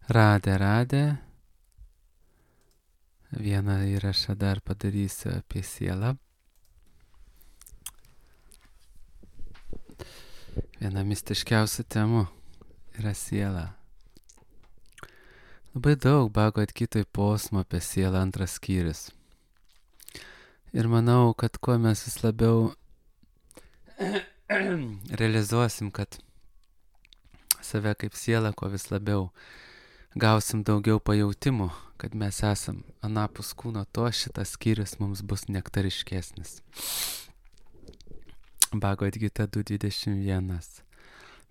Radę. Vieną įrašą dar padarysiu apie sielą. Viena mistiškiausių temų yra siela. Labai daug Bhagavad Gitoj posmų apie sielą, antras skyrius. Ir manau, kad kuo mes vis labiau realizuosim, kad save kaip sielą, kuo vis labiau gausim daugiau pajautimų, kad mes esam anapus kūno, to šitas skyrius mums bus nektariškesnis. Bhagavad Gita 2.21.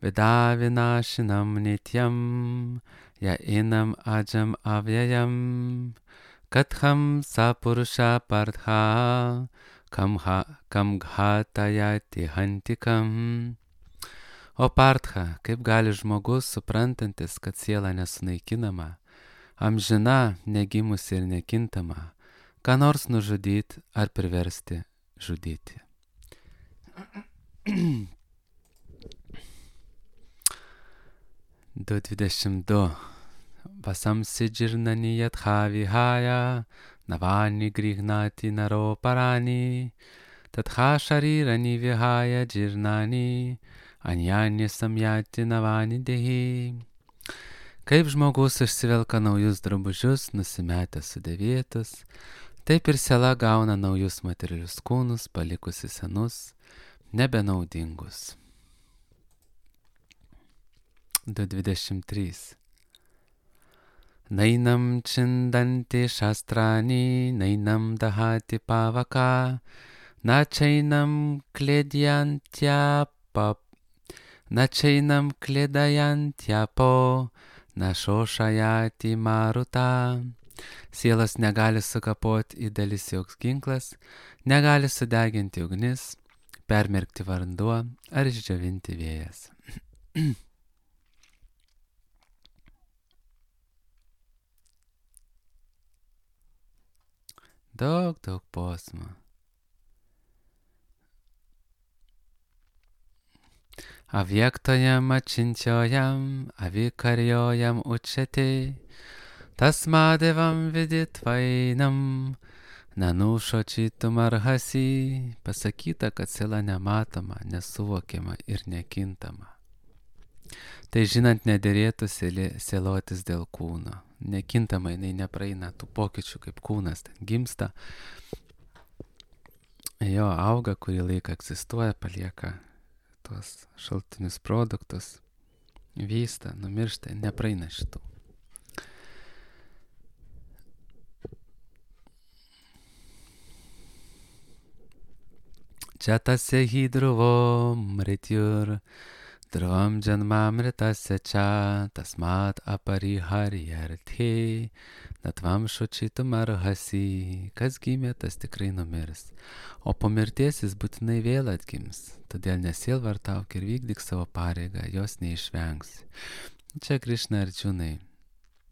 Veda vinašinam nityam, ya inam ajam avyayam, katham sapurusha partha, kam ghatayati hantikam. O partha, kaip gali žmogus, suprantantis, kad siela nesunaikinama, amžina, negimusi ir nekintama, ką nors nužudyti ar priversti žudyti. 2.22. Vasamsi džirnani yatha vihaya, navani grihnati naro parani, tatha sharirani vihaya džirnani, anyani samjati navani dehi. Kaip žmogus išsivelka naujus drabužius, nusimetęs sudėvėtus, taip ir siela gauna naujus materialius kūnus, palikusi senus, nebenaudingus. 2.23. Nainam čindanti šastrani, nainam dahati pavaka, načainam klėdajantjapo, našošajati maruta. Sielas negali sukapoti į dalis joks ginklas, negali sudeginti ugnis, permerkti vanduo ar išdžiovinti vėjas. Daug posmų. Avyaktojam achintjojam, avikarjojam uchete, tasmadevam viditvainam, nanušočitum arhasi. Pasakyta, kad siela nematoma, nesuvokiama ir nekintama. Tai žinant, nederėtų sielotis dėl kūno. Nekintama, jinai nepraeina tų pokyčių, kaip kūnas ten gimsta. Jo auga, kurį laiką egzistuoja, palieka tuos šaltinius produktus, vysta, numiršta, nepraeina šitų. Čia tasya hi dhruvo mrityur, dhruvam janmamritasya cha, tasmat apariharyarthe, natvam šučitum arhasi. Kas gimė, tas tikrai numirs, o po mirties jis būtinai vėl atgims. Todėl nesielvartauk ir vykdyk savo pareigą, jos neišvengsi. Čia Krišna Arjunai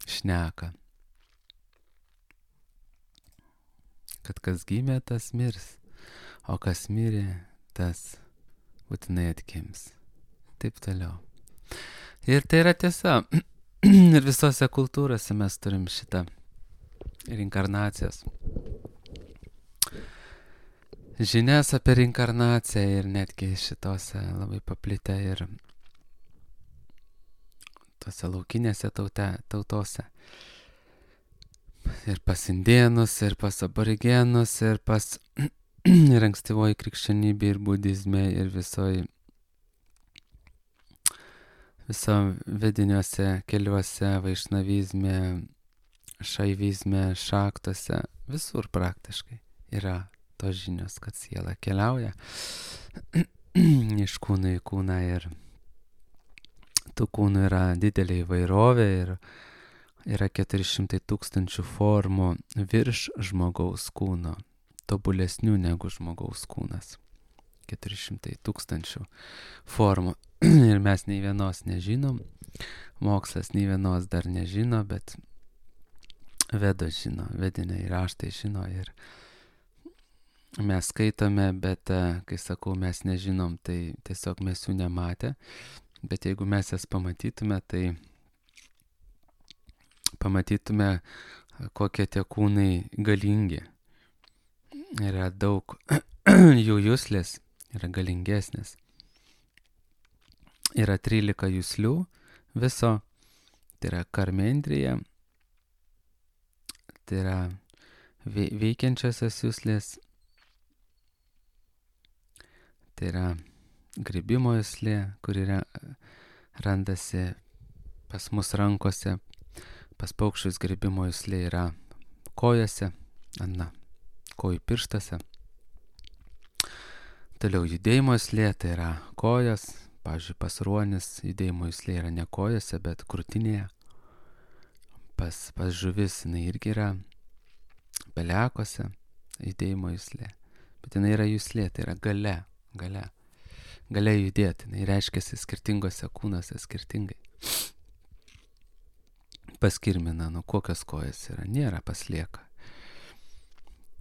šneka, kad kas gimė, tas mirs, o kas mirė, tas būtinai atgims. Taip toliau. Ir tai yra tiesa. Ir visose kultūrose mes turim šitą reinkarnacijas. Žinias apie reinkarnaciją ir netgi šitose labai paplitę ir tose laukinėse tautose. Ir pas indėnus, ir pas aborigenus, ir pas ir ankstyvoji krikščionybė, ir budizme, ir viso vediniuose keliuose, vaišnavizme, šaivizme, šaktose, visur praktiškai yra tos žinios, kad siela keliauja iš kūno į kūną ir tų kūnų yra didelė įvairovė ir yra 400 000 formų virš žmogaus kūno, tobulesnių negu žmogaus kūnas. 400 000 formų ir mes nei vienos nežinom, mokslas nei vienos dar nežino, bet Vedos žino, vediniai raštai žino ir mes skaitome, bet kai sakau mes nežinom, tai tiesiog mes jų nematę, bet jeigu mes jas pamatytume, tai pamatytume, kokie tie kūnai galingi. Yra daug jų juslės, yra galingesnės. Yra 13 juslių viso, tai yra karmendrija, tai yra veikiančiosios juslės, tai yra grybimo juslė, kuri randasi pas mus rankose, pas paukščius grybimo juslė yra kojose, kojų pirštose. Toliau judėjimo juslė, tai yra kojos, pavyzdžiui, pas ruonis judėjimo juslė yra ne kojose, bet krūtinėje. Pas žuvis jinai irgi yra pelekose judėjimo juslė, bet jinai yra juslė, tai yra galia judėti, jinai reiškiasi skirtingose kūnuose skirtingai. Pas kirminą, kokios kojas yra, nėra paslieka.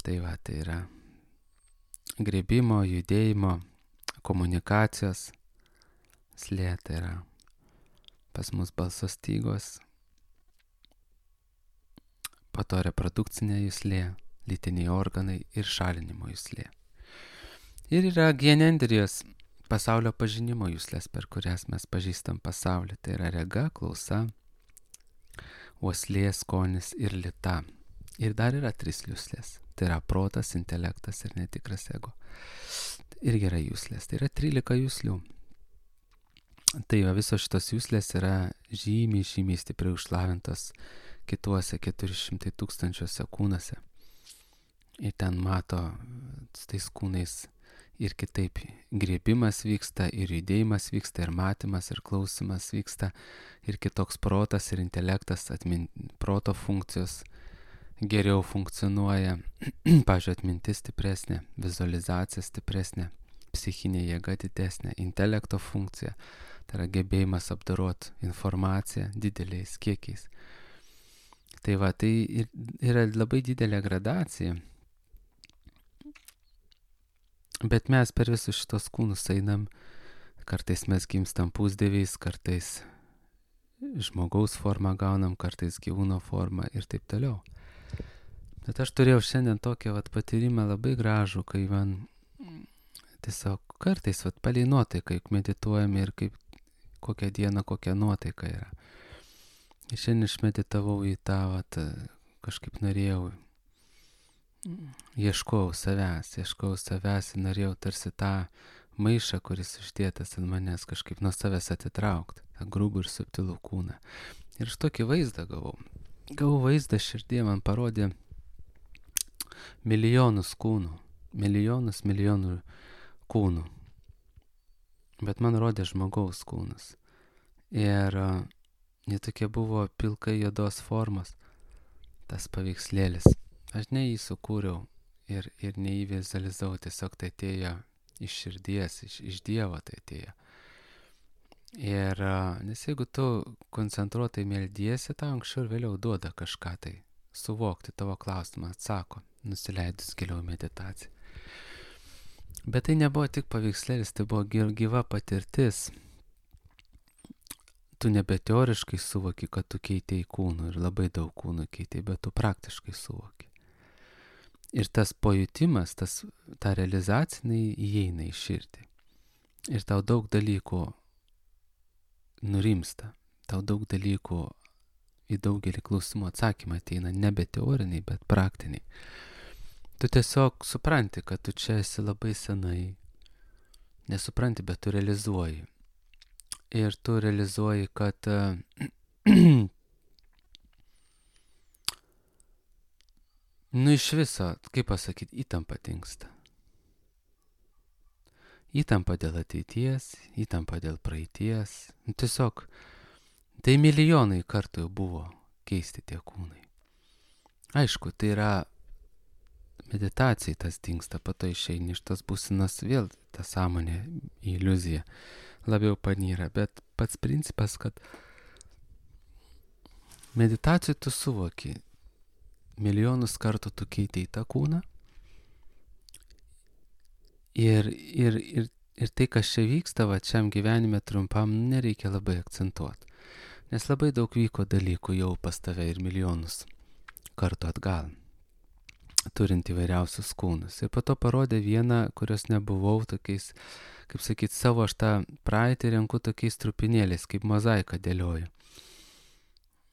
Tai yra grybimo, judėjimo, komunikacijos juslė, tai yra pas mus balso stygos, po to reprodukcinė juslė, lytiniai organai ir šalinimo juslė. Ir yra genendrijos pasaulio pažinimo juslės, per kurias mes pažįstam pasaulį. Tai yra rega, klausa, uoslė, skonis ir lyta. Ir dar yra 3 juslės. Tai yra protas, intelektas ir netikras ego. Irgi yra juslės. Tai yra 13 juslių. Tai visos šitos juslės yra žymiai stipriai užlavintos kituose 400 000 kūnuose. Ir ten mato su tais kūnais ir kitaip griebimas vyksta, ir judėjimas vyksta, ir matymas, ir klausimas vyksta, ir kitoks protas ir intelektas, proto funkcijos geriau funkcionuoja, pavyzdžiui, atmintis stipresnė, vizualizacija stipresnė, psichinė jėga didesnė, intelekto funkcija, tai yra gebėjimas apdoroti informaciją dideliais kiekiais. Tai yra labai didelė gradacija. Bet mes per visus šitos kūnus einam, kartais mes gimstam pusdieviais, kartais žmogaus formą gaunam, kartais gyvūno formą ir taip toliau. Bet aš turėjau šiandien tokį patyrimą labai gražų, kai man tiesiog kartais palei nuotaiką, juk medituojame ir kaip kokią dieną, kokia nuotaika yra. Ir šiandien išmeditavau į tą, kažkaip norėjau, ieškojau savęs ir norėjau tarsi tą maišą, kuris uždėtas ant manęs, kažkaip nuo savęs atitraukti, tą grubų ir subtilų kūną. Ir aš tokį vaizdą gavau. Gavau vaizdą širdie, man parodė milijonus kūnų, milijonų kūnų. Bet man rodė žmogaus kūnus. Ir jie tokie buvo pilkai juodos formos, tas paveikslėlis. Aš ne jį sukūriau ir ne jį vizualizavau, tiesiog tai atėjo iš širdies, iš Dievo tai atėjo. Ir nes jeigu tu koncentruotai meldiesi, tau anksčiau ir vėliau duoda kažką tai suvokti, tavo klausimą atsako, nusileidus giliau meditaciją. Bet tai nebuvo tik paveikslėlis, tai buvo gyva patirtis. Tu nebe teoriškai suvoki, kad tu keitei kūnų ir labai daug kūnų keitei, bet tu praktiškai suvoki. Ir tas pajutimas, ta realizacija įeina į širdį. Ir tau daug dalykų nurimsta, tau daug dalykų į daugelį klausimų atsakymą ateina, nebe teoriniai, bet praktiniai. Tu tiesiog supranti, kad tu čia esi labai senai. Nesupranti, bet tu realizuoji. Ir tu realizuoji, kad iš viso, kaip pasakyti, įtampa dingsta. Įtampa dėl ateities, įtampa dėl praeities. Tiesiog, tai milijonai kartų jau buvo keisti tie kūnai. Aišku, tai yra meditacijai tas dingsta, po to išeini iš tos būsenos, vėl ta sąmonė, iliuzija labiau panyra, bet pats principas, kad meditacijai tu suvoki, milijonus kartų tu keitei tą kūną ir tai, kas čia vyksta, šiam gyvenime trumpam, nereikia labai akcentuoti. Nes labai daug vyko dalykų jau pas tave ir milijonus kartų atgal, turint įvairiausius kūnus. Ir po to parodė vieną, kurios nebuvau tokiais, kaip sakyt, savo aš tą praeitį renku tokiais trupinėliais, kaip mozaiką dėlioju.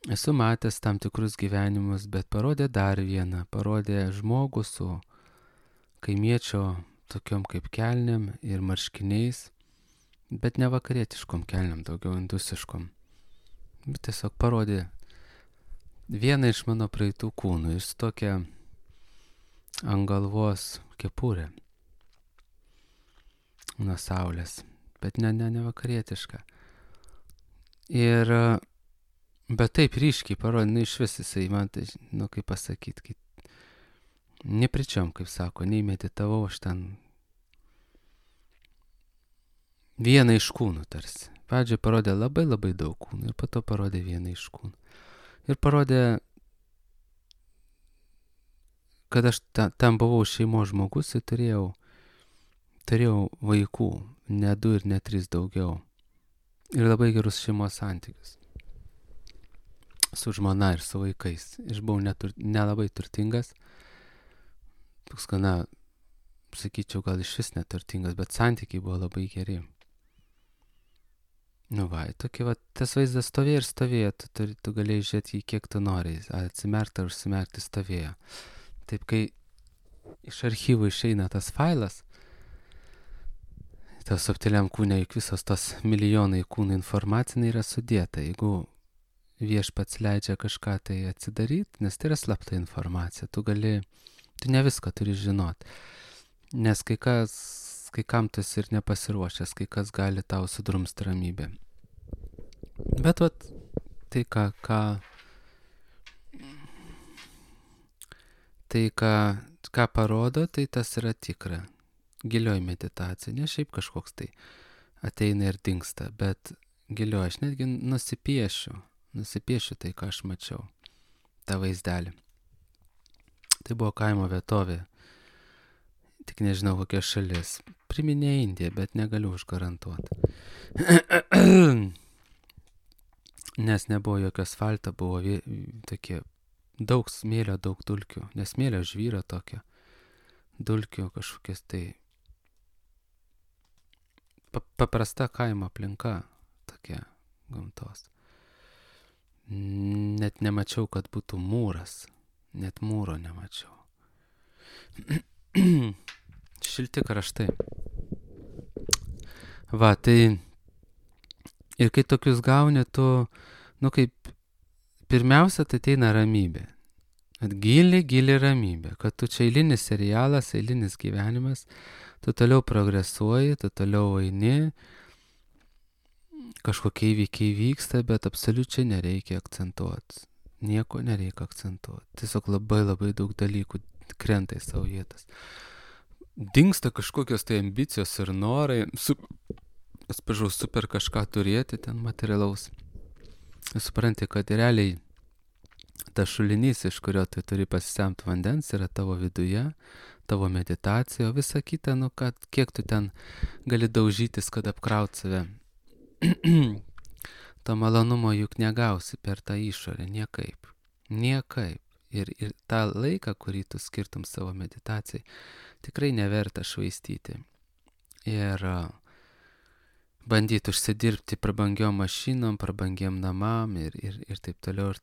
Esu matęs tam tikrus gyvenimus, bet parodė dar vieną, parodė žmogų su kaimiečio tokiom kaip kelniam ir marškiniais, bet ne vakarietiškom kelniam, daugiau indusiškom. Bet tiesiog parodė vieną iš mano praeitų kūnų ir su tokia ant galvos kepurė nuo saulės, bet ne vakarietiška. Ir bet taip ryškiai parodė, iš vis jisai man tai, kaip pasakyti, nepričiom, kaip sako, nei meditavau, aš ten vieną iš kūnų tarsi. Pradžioje parodė labai daug kūnų ir po to parodė vieną iš kūnų. Ir parodė, kad aš ten buvau šeimos žmogus ir turėjau vaikų, ne 2 ir ne 3 daugiau. Ir labai gerus šeimos santykius. Su žmona ir su vaikais. Ir buvau nelabai turtingas. Toks gana, sakyčiau, gal iš vis neturtingas, bet santykiai buvo labai geri. Tokie tas vaizdas stovėjo, tu galėjai žiūrėti jį kiek tu nori, atsimerkti ar užsimerkti stovėjo. Taip, kai iš archyvų išeina tas failas, tas subtiliam kūne, juk visos tos milijonai kūnų informacinai yra sudėta. Jeigu viešpats leidžia kažką tai atsidaryti, nes tai yra slapta informacija, tu ne viską turi žinot. Nes kai kam tu esi ir nepasiruošęs, kai kas gali tau sudrumsti ramybę. Bet tai ką parodo, tai tas yra tikra. Gilioji meditacija, ne šiaip kažkoks tai ateina ir dingsta, bet gilioji, aš netgi nusipiešiu tai, ką aš mačiau, tą vaizdelį. Tai buvo kaimo vietovė, tik nežinau kokia šalis. Priminė Indiją, bet negaliu užgarantuoti. Nes nebuvo jokio asfalto, buvo tokie daug smėlio, daug dulkių. Nes smėlio žvyro tokio. Dulkių kažkokias tai. Paprasta kaimo aplinka tokia gamtos. Net nemačiau, kad būtų mūras. Net mūro nemačiau. Šilti kraštai. Tai ir kai tokius gauni, tu, kaip pirmiausia, tai ateina ramybė. Gili ramybė, kad tu čia eilinis serialas, eilinis gyvenimas, tu toliau progresuoji, tu toliau eini, kažkokie įvykiai vyksta, bet absoliučiai nereikia akcentuoti. Nieko nereikia akcentuoti. Tiesiog labai daug dalykų krenta į savo vietas. Dingsta kažkokios tai ambicijos ir norai, super kažką turėti ten materialaus. Supranti, kad realiai tas šulinys, iš kurio tu turi pasisemti vandens, yra tavo viduje, tavo meditacija, o visa kita, kiek tu ten gali daužytis, kad apkraut save. To malonumo juk negausi per tą išorę, niekaip. Ir tą laiką, kurį tu skirtum savo meditacijai, tikrai neverta švaistyti. Ir bandyti užsidirbti prabangiom mašinom, prabangiem namam ir taip toliau.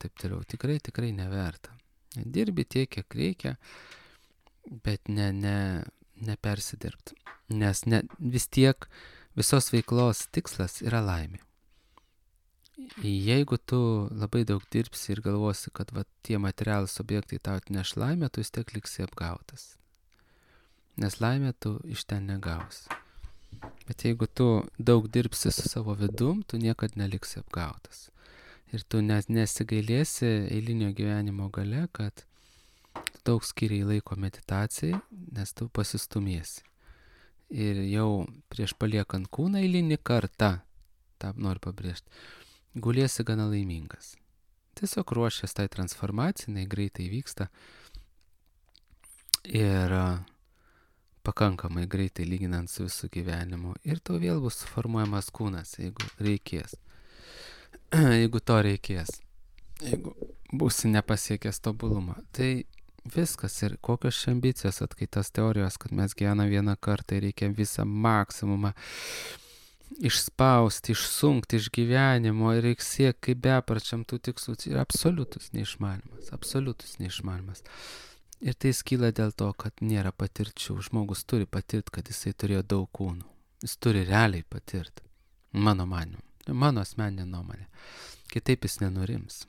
Tikrai neverta. Dirbi tiek, kiek reikia, bet ne persidirbti. Nes vis tiek visos veiklos tikslas yra laimė. Jeigu tu labai daug dirbsi ir galvosi, kad tie materialūs objektai tau atneš laimę, tu vis tiek liksi apgautas. Nes laimę tu iš ten negausi. Bet jeigu tu daug dirbsi su savo vidum, tu niekad neliksi apgautas. Ir tu nesigailėsi eilinio gyvenimo gale, kad daug skiriai laiko meditacijai, nes tu pasistumėsi. Ir jau prieš paliekant kūną eilinį kartą, tą noriu pabrėžti, guliesi gana laimingas. Tiesiog ruošies tai transformacijai, jinai greitai vyksta ir pakankamai greitai lyginant su visų gyvenimu. Ir tau vėl bus suformuojamas kūnas, jeigu reikės. jeigu to reikės, jeigu būsi nepasiekęs tobulumą. Tai viskas ir kokios čia ambicijos, atskaitos teorijos, kad mes gyvename vieną kartą ir reikia visą maksimumą išspausti, išsunkti iš gyvenimo ir reikia siekti kaip bepračiam tų tikslų. Tai yra absoliutus neišmanimas. Ir tai skyla dėl to, kad nėra patirčių. Žmogus turi patirti, kad jisai turėjo daug kūnų. Jis turi realiai patirti. Mano manimu. Mano asmeninė nuomonė. Kitaip jis nenurims.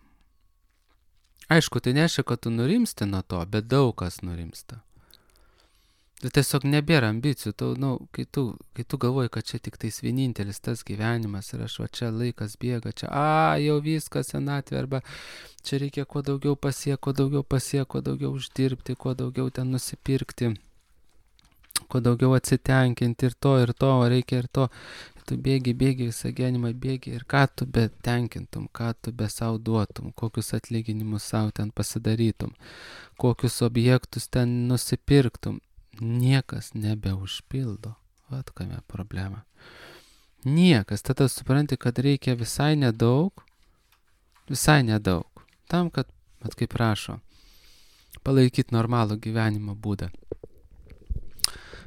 Aišku, tai nereiškia, kad tu nurimsti nuo to, bet daug kas nurimsta. Tai tiesiog nebėra ambicijų. Kai tu galvoji, kad čia tik tais vienintelis tas gyvenimas ir aš va čia laikas bėga, čia jau viskas senatvė, arba čia reikia kuo daugiau pasiekti, kuo daugiau uždirbti, kuo daugiau ten nusipirkti, kuo daugiau atsitenkinti ir to, reikia ir to. Tu bėgi visą gyvenimą bėgi ir ką tu be tenkintum, ką tu be savo duotum, kokius atlyginimus savo ten pasidarytum, kokius objektus ten nusipirktum. Niekas nebeužpildo. Vat kame problema. Niekas. Tada supranti, kad reikia visai nedaug. Tam, kad, kaip rašo, palaikyti normalų gyvenimo būdą.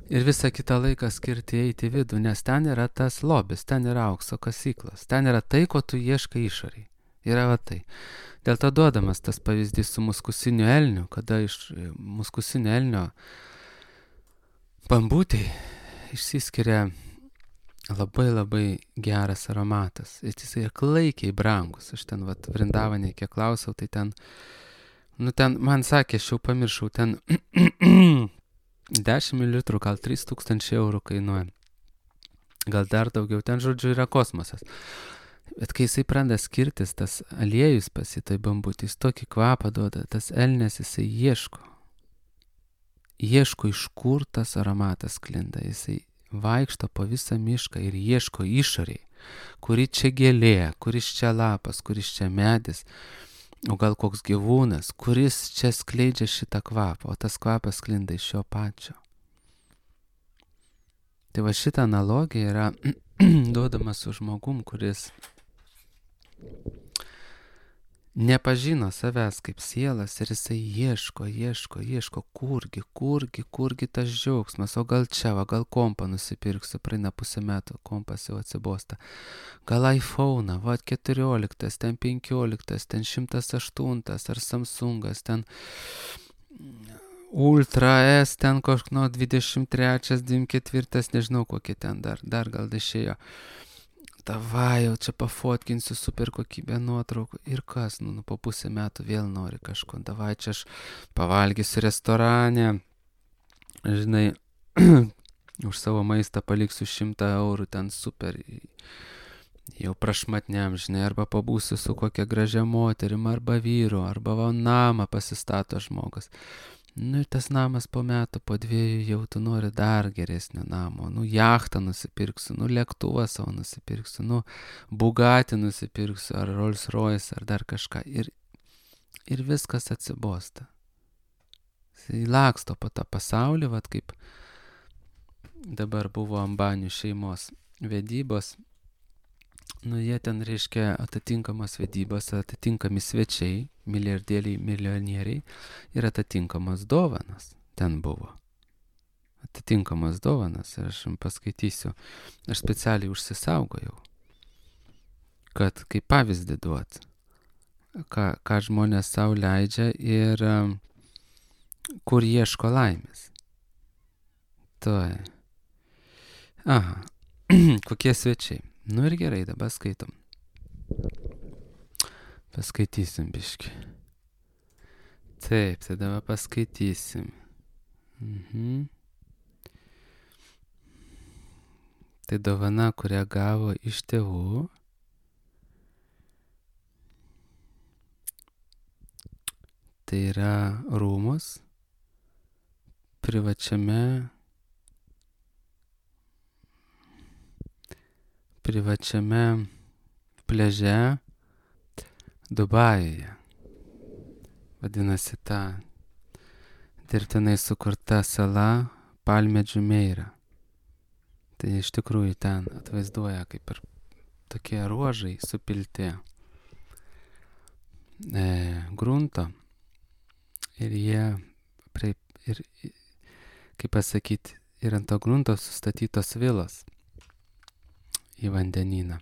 Ir visą kitą laiką skirti eiti į vidų, nes ten yra tas lobis, ten yra aukso kasyklos, ten yra tai, ko tu ieškai išoriai. Yra va tai. Dėl to duodamas tas pavyzdys su muskusiniu elniu, kada iš muskusinio elnio bambutei išsiskiria labai geras aromatas. Ir jis yra klaikiai brangus. Aš ten Vrindavane, kiek klausiau, tai ten, man sakė, aš jau pamiršau, ten 10 ml, gal 3000 eurų kainuoja. Gal dar daugiau, ten žodžiu yra kosmosas. Bet kai jisai pradeda skirtis, tas aliejus pasitai bambutį, jis tokį kvapą duoda, tas elnės jisai ieško, iš kur tas aromatas sklinda. Jisai vaikšto po visą mišką ir ieško išoriai, kuri čia gėlė, kuris čia lapas, kuris čia medis, o gal koks gyvūnas, kuris čia skleidžia šitą kvapą, o tas kvapas sklinda iš jo pačio. Tai va šitą analogiją yra duodama su žmogum, kuris nepažino savęs kaip sielas ir jisai ieško, kurgi tas džiaugsmas, o gal čia, gal kompą nusipirksiu, praeina pusę metų, kompas jau atsibosta, gal iPhone, 14, ten 15, ten 108, ar Samsungas, ten Ultra S, ten kažkno 23, 24, nežinau kokie ten dar gal išėjo. Davai, jau čia pafotkinsiu super kokybę nuotraukų. Ir kas, po pusę metų vėl nori kažko. Davai, čia aš pavalgysiu restorane. Žinai, už savo maistą paliksiu 100 eurų, ten super. Jau prašmatniam, žinai, arba pabūsiu su kokia gražia moterim, arba vyru, arba namą pasistato žmogus. Ir tas namas po metų, po 2 jau tu nori dar geresnio namo. Jachtą nusipirksiu, lėktuvą savo nusipirksiu, Bugatti nusipirksiu, ar Rolls Royce, ar dar kažką. Ir viskas atsibosta. Jis laksto po tą pasaulį, kaip dabar buvo Ambanių šeimos vedybos. Jie ten reiškia atitinkamos vedybos, atitinkami svečiai, milijardieriai, milijonieriai ir atitinkamos dovanas ten buvo. Atitinkamos dovanas ir aš jums paskaitysiu. Aš specialiai užsisaugojau, kad kaip pavyzdį duot, ką žmonės savo leidžia ir kur ieško laimės. Aha, kokie svečiai. Ir gerai, dabar skaitom. Paskaitysim biškį. Taip, tai dabar paskaitysim. Tai dovana, kurią gavo iš tėvų. Tai yra rūmus privačiame pliaže Dubajuje. Vadinasi ta dirbtinai sukurta sala Palme Džumeira. Tai iš tikrųjų ten atvaizduoja kaip ir tokie ruožai supilti. grunto ir jie, ir, kaip pasakyti, ir ant to grunto sustatytos vilos į vandenyną.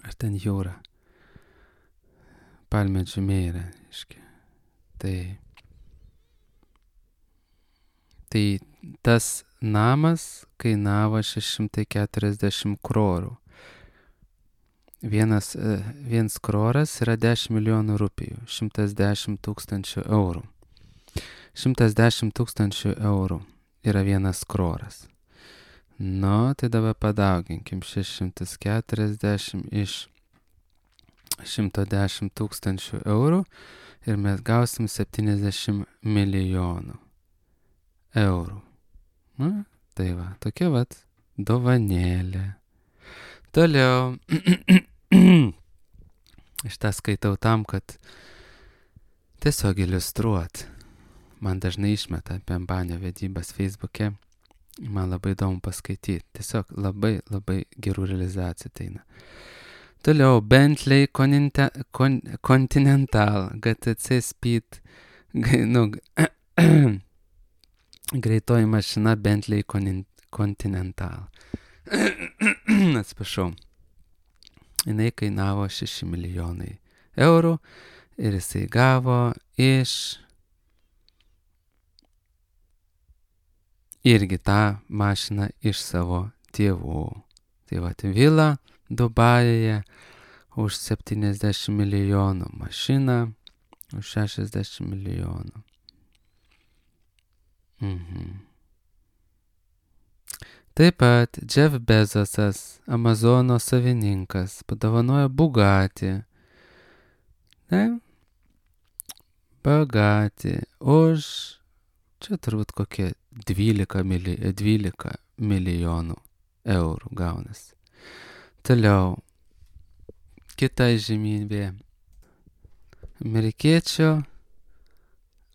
Ar ten jūra. Palmedžių meira, iški. Tai tas namas kainavo 640 krorų. Viens kroras yra 10 milijonų rupijų, 110 tūkstančių eurų. 110 tūkstančių eurų yra vienas kroras. Nu, tai dabar padauginkim 640 iš 110 tūkstančių eurų ir mes gausim 70 milijonų eurų. Nu, tai va, tokia vat dovanėlė. Toliau. Šitą skaitau tam, kad tiesiog iliustruot. Man dažnai išmeta apie ambanio vedybas Facebook'e. Man labai įdomu paskaityti. Tiesiog labai, labai gerų realizacijų ateina. Toliau Bentley Continental GTC Speed. Greitoji mašina Bentley Continental. Atsiprašau. Jinai kainavo 6 milijonai eurų ir jisai gavo irgi tą mašiną iš savo tėvų. Tai va, vila Dubajuje už 70 milijonų, mašina už 60 milijonų. Taip pat Jeff Bezosas, Amazono savininkas, padovanojo Bugatti. Bugatti už, čia turbūt kokie 12 milijonų eurų gaunasi. Toliau, kita įžymybė. Amerikiečių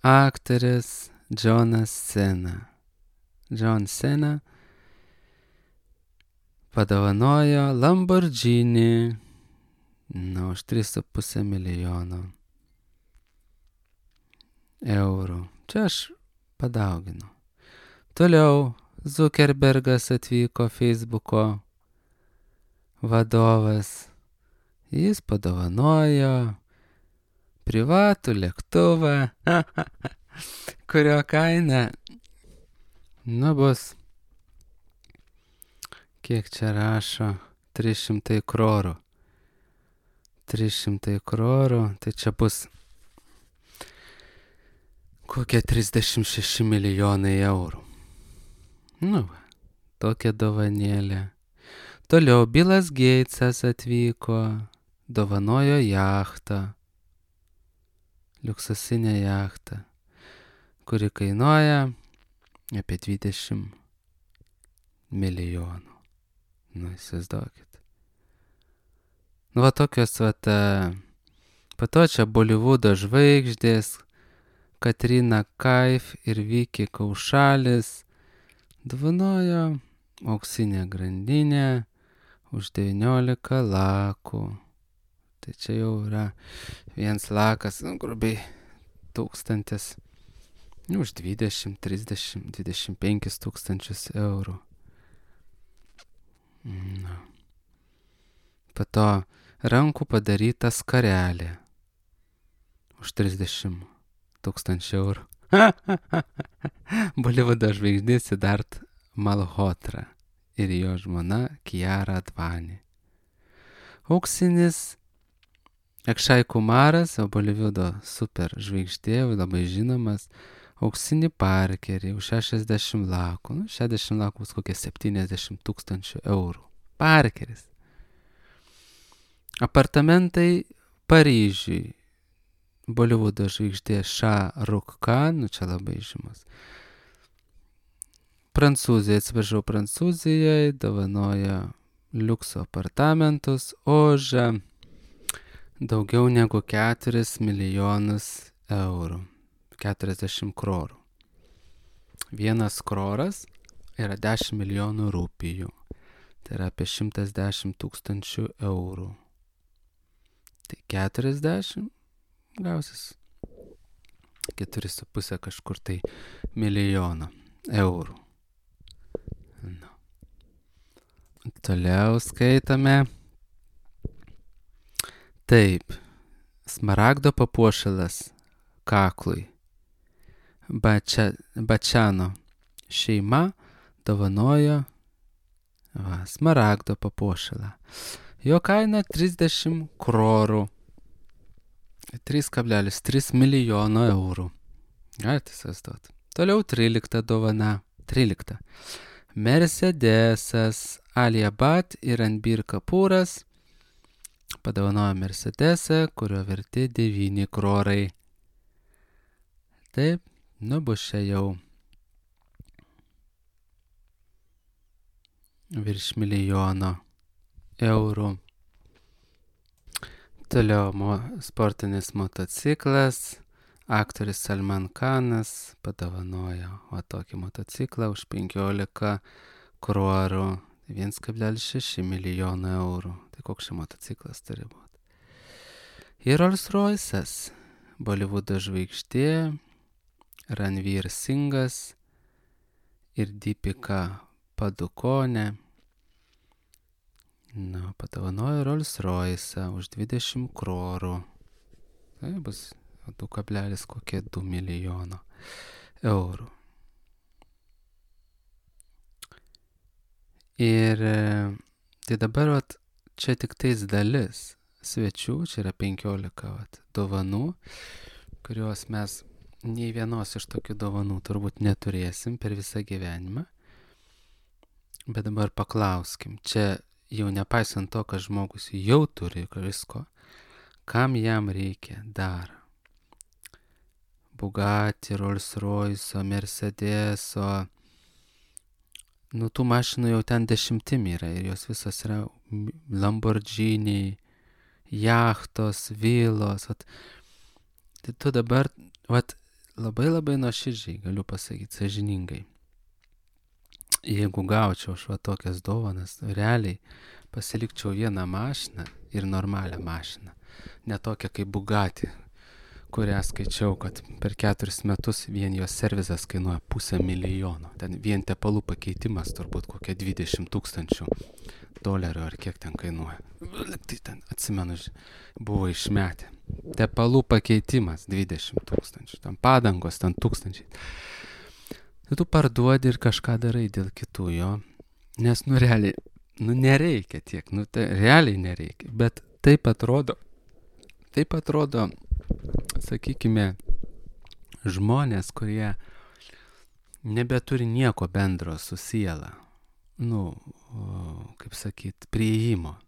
aktorius Johnas Cena. John Cena padovanojo Lamborghini už 3,5 milijono eurų. Čia aš padauginu. Toliau Zuckerbergas atvyko, Facebooko vadovas. Jis padovanojo privatų lėktuvą, kurio kaina bus, kiek čia rašo, 300 krorų. 300 krorų, tai čia bus kokie 36 milijonai eurų. Tokia dovanėlė. Toliau Billas Gatesas atvyko, dovanojo jachtą, liuksusinę jachtą, kuri kainuoja apie 20 milijonų. Įsivaizduokit. Tokios, po to čia Bolivudo žvaigždės, Katrina Kaif ir Viki Kaušalis dovanojo auksinę grandinę už 19 lakų. Tai čia jau yra vienas lakas, grubiai 1000, už 20, 30, 25 tūkstančius eurų. Po to rankų padaryta skarelė už 30 tūkstančių eurų. Bolivudo žvaigždė Siddharth Malhotra ir jo žmona Kiara Advani. Auksinis Akshay Kumaras, Bolivudo super žvaigždė, labai žinomas, auksinį parkerį už 60 lakų. 60 lakų bus kokie 70 tūkstančių eurų. Parkeris. Apartamentai Paryžiui. Bolivudo žvaigždė Shah Rukh Khan, čia labai žymus. Prancūzijai dovanoja liukso apartamentus už daugiau negu 4 milijonus eurų. 40 krorų. Vienas kroras yra 10 milijonų rupijų. Tai yra apie 110 tūkstančių eurų. Tai 40 gausis 4,5 kažkur tai milijono eurų. Nu. Toliau skaitame. Taip, smaragdo papuošalas kaklui. Bačiano šeima dovanojo smaragdo papuošalą. Jo kaina 30 krorų. 3,3 milijono eurų. Galite įsivaizduoti. Toliau 13 dovana. 13. Mercedesas Aliabat ir Anbir Kapūras padovanojo Mercedesą, kurio vertė 9 krorai. Taip, bus čia jau virš milijono eurų. Toliau sportinis motociklas. Aktorius Salman Khanas padovanojo tokį motociklą už 15 krorų. 1,6 milijono eurų. Tai koks čia motociklas turi būti. Ir Rolls Royce'as, Bolivudo žvaigždė, Ranveer Singas ir Deepika Padukone padovanojo Rolls Royce'ą už 20 krorų. Tai bus 2 milijono eurų. Ir tai dabar čia tik tais dalis svečių, čia yra 15 dovanų, kurios mes nei vienos iš tokių dovanų turbūt neturėsim per visą gyvenimą. Bet dabar paklauskim, čia jau nepaisant to, kad žmogus jau turi visko, kam jam reikia dar? Bugatti, Rolls Royce'o, Mercedeso. Tų mašinų jau ten 10 yra ir jos visos yra Lamborghini, jachtos, vilos. Tai tu dabar labai nuoširdžiai galiu pasakyti, sąžiningai. Jeigu gaučiau aš tokias dovanas, realiai pasilikčiau vieną mašiną ir normalią mašiną. Ne tokią kaip Bugatti, kurią skaičiau, kad per 4 metus vien jos servizas kainuoja $500,000. Ten vien tepalų pakeitimas turbūt kokie $20,000 ar kiek ten kainuoja. Tai ten, atsimenu, buvo išmetę. Tepalų pakeitimas 20,000. Ten padangos, ten 1000. Tai tu parduodi ir kažką darai dėl kitų jo. Nes, realiai, nereikia tiek. Tai realiai nereikia. Bet taip atrodo, sakykime, žmonės, kurie nebeturi nieko bendro su siela, kaip sakyt, priėjimo.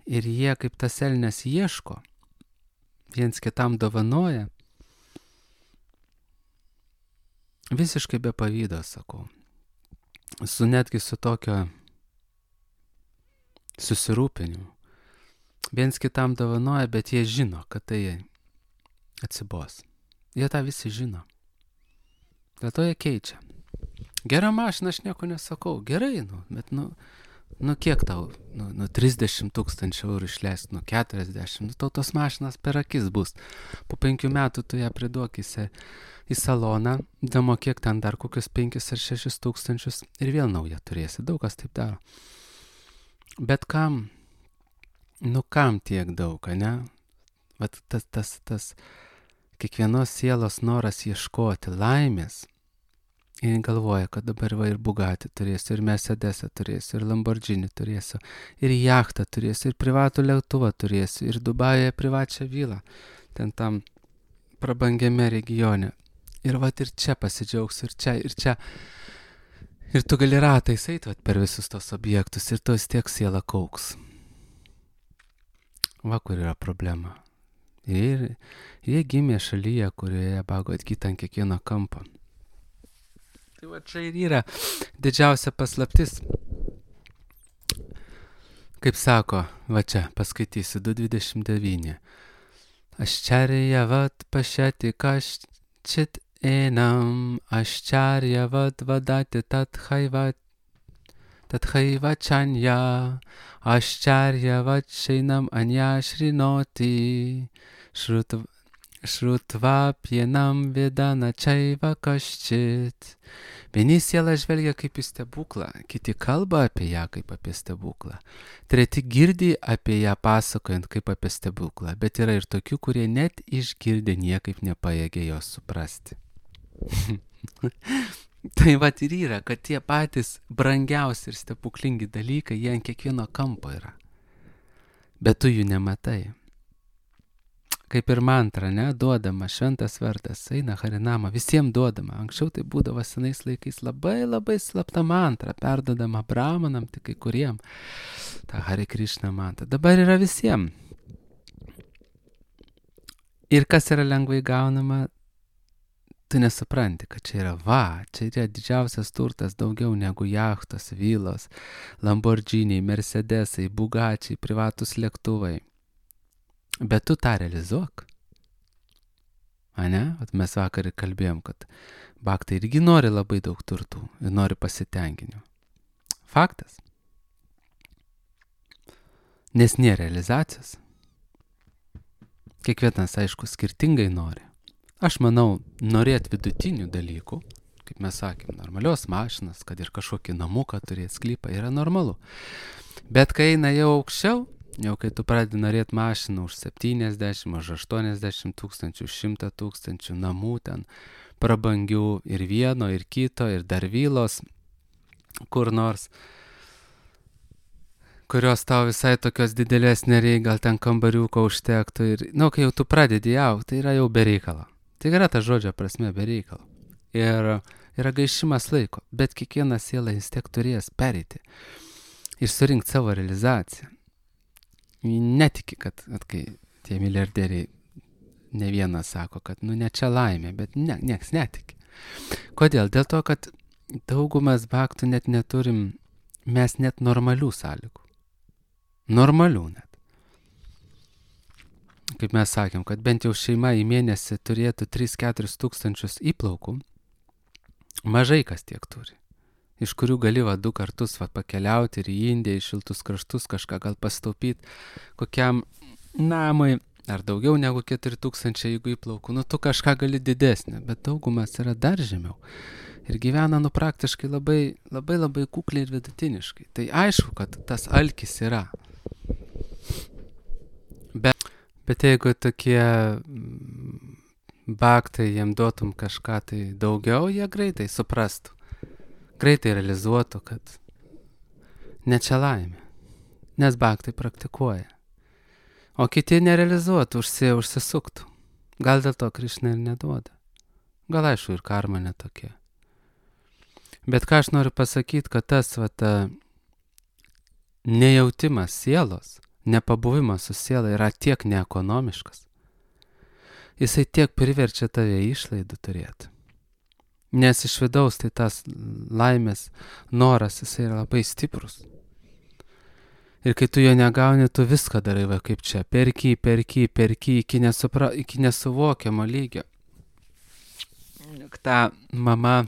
Ir jie kaip tas elnias ieško, viens kitam dovanoja, visiškai be pavydo, sakau. Netgi su tokio susirūpinimu. Viens kitam dovanoja, bet jie žino, kad tai atsibos. Jie tą visi žino. Dėl to jie keičia. Gera mašina, aš nieko nesakau. Gerai, bet kiek tau? 30 000 eurų išleist, 40. Tau tos mašinas per akis bus. Po 5 metų tu ją priduokysi į saloną, damokėk ten dar kokius 5 ar 6 tūkstančius ir vėl naują turėsi. Daug kas taip daro. Bet kam? Kam tiek daug, ne? Vat tas kiekvienos sielos noras ieškoti laimės ir galvoja, kad dabar ir Bugatti turėsiu, ir Mercedesą turėsiu, ir Lamborghini turėsiu, ir jachtą turėsiu, ir privatų lėktuvą turėsiu, ir Dubajuje privačią vilą, ten tam prabangiame regione. Ir ir čia pasidžiaugsiu, ir čia. Ir tu gali ratais eiti per visus tos objektus, ir tu vis tiek siela kauks. Kur yra problema. Ir jie gimė šalyje, kurioje bago atgyta ant kiekvieno kampo. Tai čia ir yra didžiausia paslaptis. Kaip sako, čia paskaitysiu 2:29. Aščarjavat pašeti kaščit enam, aščarjavat vadati Tathaiva chanya, aščarjavat šeinam anya šrinoti, Šrutvapienam vedana čaiva kaščit. Vieni sielą žvelgia kaip į stebuklą, kiti kalba apie ją kaip apie stebuklą. Treti girdi apie ją pasakojant kaip apie stebuklą, bet yra ir tokių, kurie net išgirdę niekaip nepajėgia jos suprasti. Tai vat ir yra, kad tie patys brangiausi ir stebuklingi dalykai, jie ant kiekvieno kampo yra. Bet tu jų nematai. Kaip ir mantra, ne, duodama, šventas vardas, eina harinama, visiems duodama. Anksčiau tai būdavo senais laikais labai slapta mantra, perdodama brahmanam, tik kai kuriem. Ta Hare Krishna mantra. Dabar yra visiems. Ir kas yra lengvai gaunama, tu nesupranti, kad čia yra didžiausias turtas, daugiau negu jachtos, vilos, Lamborghiniai, Mercedesai, Bugačiai, privatus lėktuvai. Bet tu tą realizuok. Ane? Mes vakar ir kalbėjom, kad bhaktai irgi nori labai daug turtų ir nori pasitenkinimo. Faktas. Nes nėra realizacijos. Kiekvienas, aišku, skirtingai nori. Aš manau, norėt vidutinių dalykų, kaip mes sakėm, normalios mašinas, kad ir kažkokį namuką turėt, sklypą, yra normalu. Bet kai eina jau aukščiau, jau kai tu pradedi norėti mašiną už 70, už 80 tūkstančių, 100 tūkstančių, namų ten prabangių ir vieno, ir kito, ir dar vilos, kur nors, kurios tau visai tokios didelės nereikia, gal ten kambariuko užtektų. Ir, kai jau tu pradedi augti, tai yra jau bereikalo. Tai yra ta žodžio prasme bereikalo. Ir yra gaišimas laiko, bet kiekviena siela vis tiek turės pereiti ir surinkti savo realizaciją. Netiki, kad kai tie milijardieriai ne vienas sako, kad ne čia laimė, bet nieks netiki. Kodėl? Dėl to, kad daugumas bhaktų net neturim, mes net normalių sąlygų. Normalių net. Kaip mes sakėm, kad bent jau šeima į mėnesį turėtų 3-4 tūkstančius įplaukų, mažai kas tiek turi. Iš kurių gali 2 kartus pakeliauti ir į Indiją, į šiltus kraštus, kažką gal pastaupyti kokiam namui, ar daugiau negu 4000, jeigu įplaukų. Tu kažką gali didesnį, bet daugumas yra dar žemiau. Ir gyvena praktiškai labai kukliai ir vidutiniškai. Tai aišku, kad tas alkis yra. Bet jeigu tokie bhaktai, jiem duotum kažką tai daugiau, jie greitai suprastų. Greitai realizuotų, kad ne čia laimė, nes bhaktai praktikuoja. O kiti nerealizuotų, užsisuktų. Gal dėl to Krišna ir neduoda. Gal aišku ir karma netokia. Bet ką aš noriu pasakyti, kad tas nejautimas sielos, nepabuvimas su siela yra tiek neekonomiškas. Jisai tiek priverčia tave išlaidų turėti. Nes iš vidaus tai tas laimės noras, jisai yra labai stiprus. Ir kai tu jo negauni, tu viską darai, kaip čia, perki iki nesuvokiamo lygio. Ta mama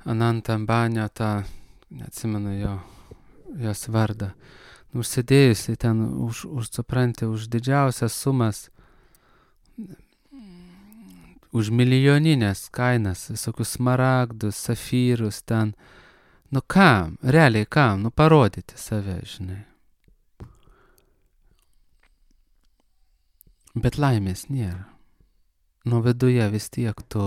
Ananta Ambanio, neatsimenu jos vardą, užsidėjusi ten už didžiausias sumas, už milijoninės kainas, visokius smaragdus, safyrus ten. Kam? Realiai kam? Parodyti save, žinai. Bet laimės nėra. Viduje vis tiek tu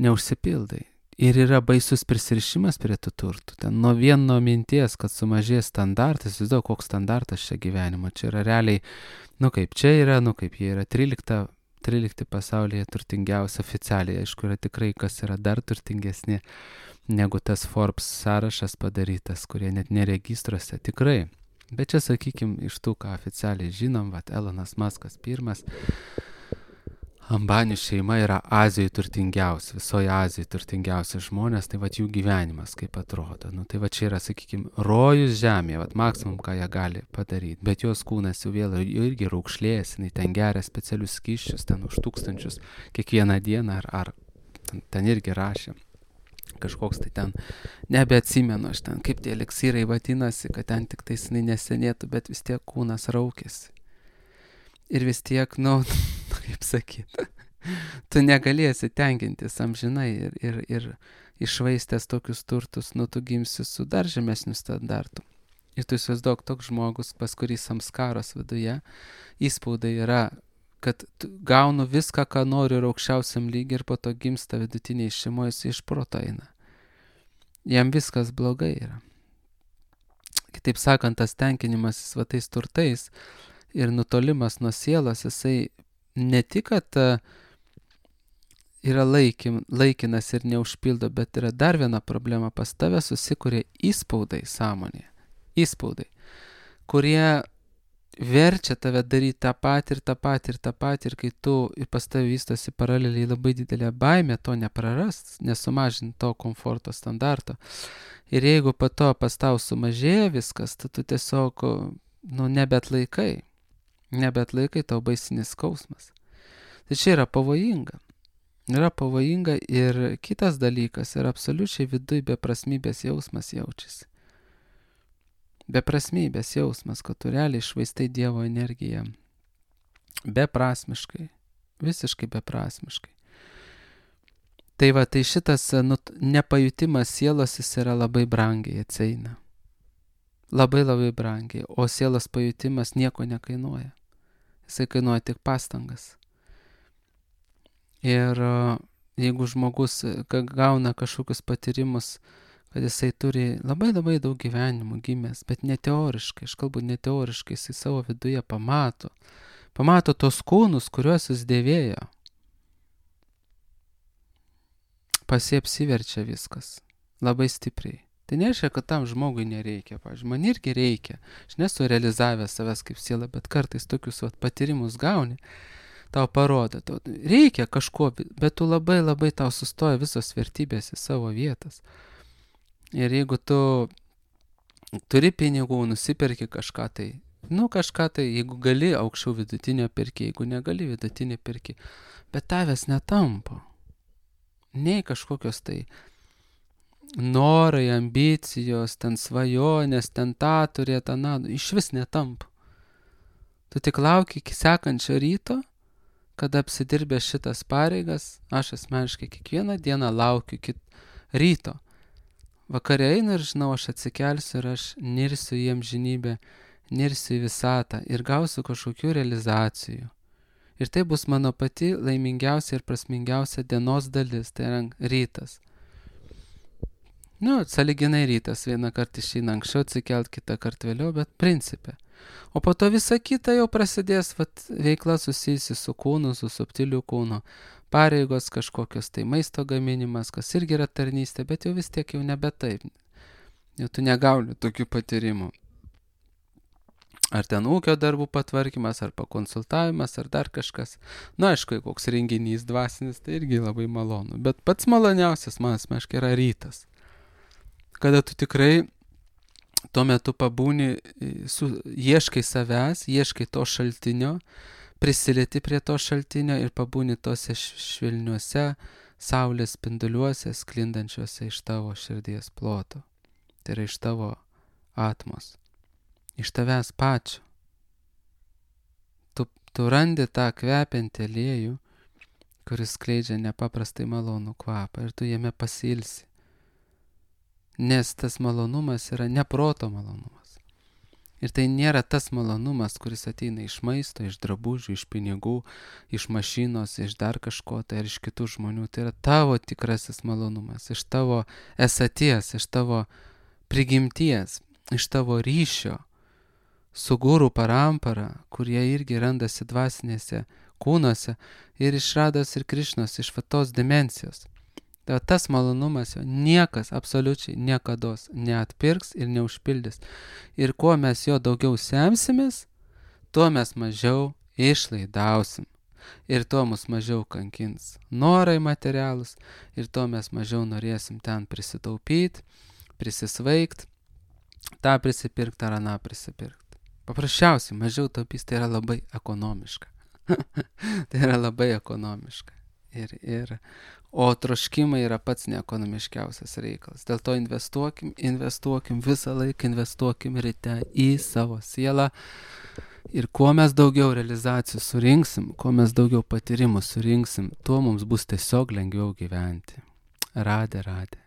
neužsipildai. Ir yra baisus prisirišimas prie tų turtų. Ten nuo vieno minties, kad sumažės standartas, vis daug koks standartas čia gyvenimo. Čia yra realiai, kaip čia yra, kaip jie yra 13 pasaulyje turtingiausia oficialiai. Aišku, yra tikrai, kas yra dar turtingesni negu tas Forbes sąrašas padarytas, kurie net neregistruose. Tikrai. Bet čia, sakykime, iš tų, ką oficialiai žinom, Elonas Muskas pirmas, Ambanių šeima yra Azijoje turtingiausia, visoje Azijoje turtingiausia žmonės, tai jų gyvenimas kaip atrodo. Tai čia yra, sakykime, rojus žemėje, maksimum, ką jie gali padaryti. Bet jos kūnas jau vėl irgi raukšlėjęs, ten geria specialius skysčius, ten už 1000 kiekvieną dieną, ar ten irgi rašė, kažkoks tai ten, nebeatsimenu aš ten, kaip tie eliksyrai vadinasi, kad ten tik tai jinai nesenėtų, bet vis tiek kūnas raukėsi. Ir vis tiek, kaip sakyti, tu negalėsi tenkintis amžinai ir išvaistęs tokius turtus, tu gimsi su dar žemesniu standartu. Ir tu įsivaizduok toks žmogus, pas kurį samskaros viduje įspaudai yra, kad gaunu viską, ką noriu ir aukščiausiam lygiai ir po to gimsta vidutiniai šeimoje, jis iš proto eina. Jam viskas blogai yra. Kitaip sakant, tas tenkinimasis va tais turtais ir nutolimas nuo sielos, jisai ne tik, kad yra laikinas ir neužpildo, bet yra dar viena problema, pas tave susikuria įspaudai sąmonėje. Įspaudai, kurie verčia tave daryti tą patį ir kai tu ir pas tave vystosi paraleliai labai didelė baimė to neprarast, nesumažinti to komforto standarto. Ir jeigu po to pas tau sumažėja viskas, tu tiesiog, nebeatlaikai, tau baisinis skausmas. Tai čia yra pavojinga. Yra pavojinga ir kitas dalykas yra absoliučiai viduj beprasmybės jausmas jaučiasi. Beprasmybės jausmas, kad tu realiai išvaistai Dievo energiją beprasmiškai, visiškai beprasmiškai. Tai šitas nepajutimas sielos jis yra labai brangiai atsieina. Labai labai brangiai, o sielos pajutimas nieko nekainuoja. Jisai kainuoja tik pastangas. Ir jeigu žmogus gauna kažkokius patyrimus, kad jisai turi labai labai daug gyvenimų gimęs, bet ne teoriškai, aš kalbu ne teoriškai, jisai savo viduje pamato tos kūnus, kuriuos jis dėvėjo. Pas jį apsiverčia viskas, labai stipriai. Tai nereiškia, kad tam žmogui nereikia, pavyzdžiui, man irgi reikia, aš nesu realizavęs savęs kaip siela, bet kartais tokius patyrimus gauni, tau parodo, reikia kažko, bet tu labai labai tau sustoja visos vertybės į savo vietas. Ir jeigu tu turi pinigų, nusiperki kažką tai, jeigu gali, aukščiau vidutinio perki, jeigu negali, vidutinio perki, bet tavęs netampo. Nei kažkokios tai norai, ambicijos, ten svajonės, ten tą turėt, iš vis netampo. Tu tik lauki iki sekančio ryto, kada apsidirbė šitas pareigas, aš asmeniškai kiekvieną dieną laukiu iki ryto. Vakare einu ir žinau, aš atsikelsiu ir aš nirsiu į amžinybę, nirsiu į visatą ir gausiu kažkokių realizacijų. Ir tai bus mano pati laimingiausia ir prasmingiausia dienos dalis, tai yra rytas. Sąlyginai rytas, vieną kartą išeina anksčiau atsikelt, kitą kartą vėliau, bet principe. O po to visa kita jau prasidės veikla susijusi su kūnu, su subtiliu kūnu. Pareigos kažkokios, tai maisto gaminimas, kas irgi yra tarnystė, bet jau vis tiek jau nebe taip. Jau tu negauni tokių patyrimų. Ar ten ūkio darbų patvarkymas, ar pakonsultavimas, ar dar kažkas. Aišku, koks renginys dvasinis, tai irgi labai malonu. Bet pats maloniausias man asmeniškai yra rytas. Kada tu tikrai tuo metu pabūni, ieškai savęs, ieškai to šaltinio, prisilieti prie to šaltinio ir pabūni tose švelniuose saulės spinduliuose, sklindančiuose iš tavo širdies ploto. Tai yra iš tavo atmos, iš tavęs pačio. Tu randi tą kvepiantį aliejų, kuris skleidžia nepaprastai malonų kvapą ir tu jame pasilsi. Nes tas malonumas yra ne proto malonumas. Ir tai nėra tas malonumas, kuris ateina iš maisto, iš drabužių, iš pinigų, iš mašinos, iš dar kažko, tai ar iš kitų žmonių. Tai yra tavo tikrasis malonumas, iš tavo esaties, iš tavo prigimties, iš tavo ryšio su guru parampara, kurie irgi randasi dvasinėse kūnuose ir iš Rados ir Krišnos, iš tos dimensijos. Tai tas malonumas jo niekas absoliučiai niekados neatpirks ir neužpildys. Ir kuo mes jo daugiau semsimės, tuo mes mažiau išlaidausim. Ir tuo mus mažiau kankins norai materialūs, ir tuo mes mažiau norėsim ten prisitaupyti, prisisvaigt, tą prisipirkti ar aną prisipirkti. Paprasčiausiai mažiau taupys, tai yra labai ekonomiška. Tai yra labai ekonomiška. O troškimai yra pats neekonomiškiausias reikalas. Dėl to investuokim, visą laiką investuokim ryte į savo sielą. Ir kuo mes daugiau realizacijų surinksim, kuo mes daugiau patyrimų surinksim, tuo mums bus tiesiog lengviau gyventi. Radė.